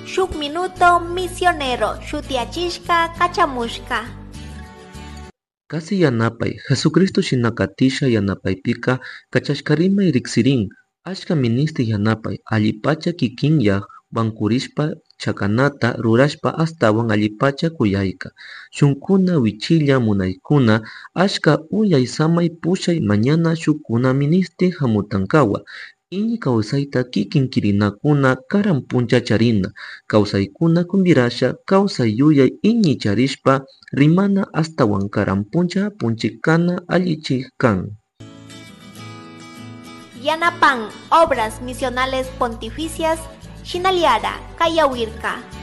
Shuk Minuto Misionero shutiyachishka kachamushka. Kasi yanapay Jesucristo shinakatisha yanapaypika kachashkarimay riksirin achka ministik yanapay allipacha kikinyak wankurishpa chakanata rurashpa astawan allipacha kuyayka shunkuna wichilla munaykuna achka uyay samay pushay mañana shukkuna ministik hamutankawa iñi kawsayta kikin kirinakuna karan puncha charina kawsaykuna kumbirasha kawsay yuyay iñi charishpa rimana astawan karan puncha apunchik kana allichik kan. Yanapan Obras Misionales Pontificias Shinaliara Kayawirka.